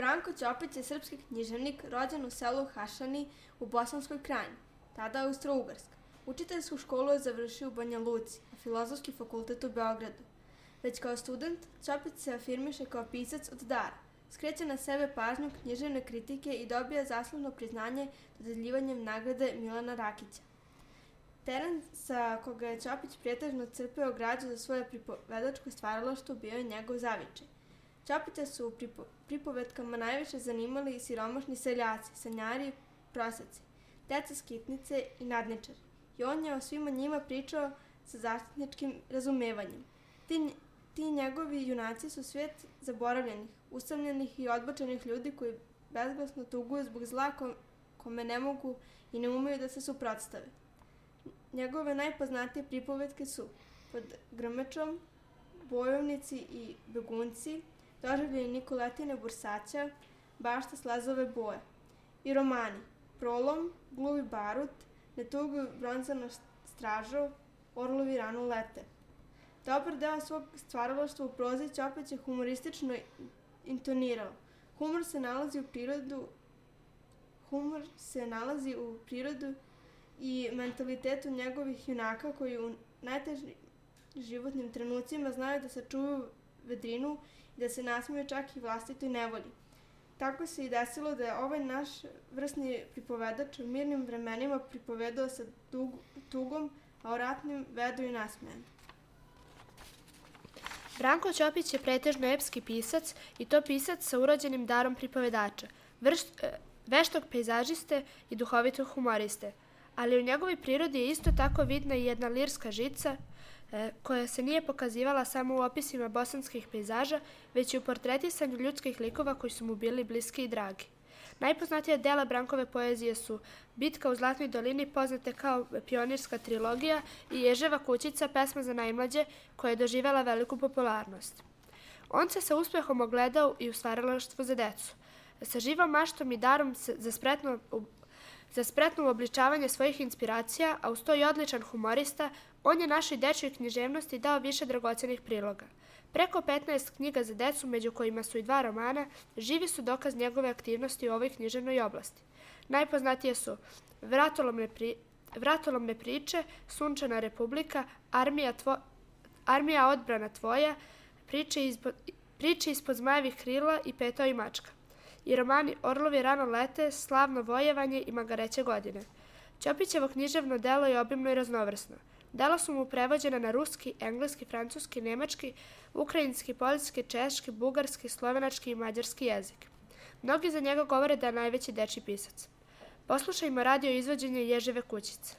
Branko Ćopić je srpski književnik rođen u selu Hašani u Bosanskoj Krajini, tada Austro-Ugarska. Učiteljsku školu je završio u Banja Luci, a Filozofski fakultet u Beogradu. Već kao student, Ćopić se afirmiše kao pisac od dara, skreće na sebe pažnju književne kritike i dobija zaslužno priznanje dodeljivanjem nagrade Milana Rakića. Teren sa koga je Ćopić pretežno crpeo građu za svoje pripovedačko stvaralaštvo bio je njegov zavičaj. Ćopića su u pripovetkama najviše zanimali siromašni seljaci, sanjari, prosjaci, deca skitnice i nadničari. I on je o svima njima pričao sa zaštitničkim razumevanjem. Ti njegovi junaci su svet zaboravljenih, usamljenih i odbačenih ljudi koji bezglasno tuguju zbog zla kome ne mogu i ne umeju da se suprotstave. Njegove najpoznatije pripovetke su Pod grmečom, Bojovnici i begunci, Doživljaj Nikoletine Bursaća, Bašta slazove boje. I romani Prolom, Gluvi barut, Ne tuguj bronzana stražo, Orlovi rano lete. Dobar deo svog stvaralaštva u prozi Ćopić je humoristično intonirao. Humor se nalazi u prirodu i mentalitetu njegovih junaka koji u najtežim životnim trenucima znaju da sačuvaju vedrinu i da se nasmeju čak i vlastitoj nevolji. Tako se i desilo da je ovaj naš vrsni pripovedač u mirnim vremenima pripovedao sa tugom, a o ratnim vedo i nasmejan. Branko Ćopić je pretežno epski pisac i to pisac sa urođenim darom pripovedača, veštog pejzažiste i duhovitog humoriste. Ali u njegovoj prirodi je isto tako vidna i jedna lirska žica koja se nije pokazivala samo u opisima bosanskih pejzaža, već i u portretisanju ljudskih likova koji su mu bili bliski i dragi. Najpoznatija dela Brankove poezije su Bitka u Zlatnoj dolini, poznate kao pionirska trilogija, i Ježeva kućica, pesma za najmlađe, koja je doživela veliku popularnost. On se sa uspehom ogledao i u stvaralaštvu za decu. Sa živom maštom i darom za spretno uobličavanje svojih inspiracija, a uz to i odličan humorista, on je našoj dečjoj književnosti dao više dragocenih priloga. Preko 15 knjiga za decu, među kojima su i 2 romana, živi su dokaz njegove aktivnosti u ovoj književnoj oblasti. Najpoznatije su Vratolomne priče, Sunčana republika, Armija odbrana tvoja, Priče ispod zmajevih krila i Petao i mačka. I romani Orlovi rano lete, Slavno vojevanje i Magareće godine. Ćopićevo književno delo je obimno i raznovrsno. Dela su mu prevođena na ruski, engleski, francuski, nemački, ukrajinski, poljski, češki, bugarski, slovenački i mađarski jezik. Mnogi za njega govore da je najveći dečiji pisac. Poslušajmo radio izvođenje Ježeve kućice.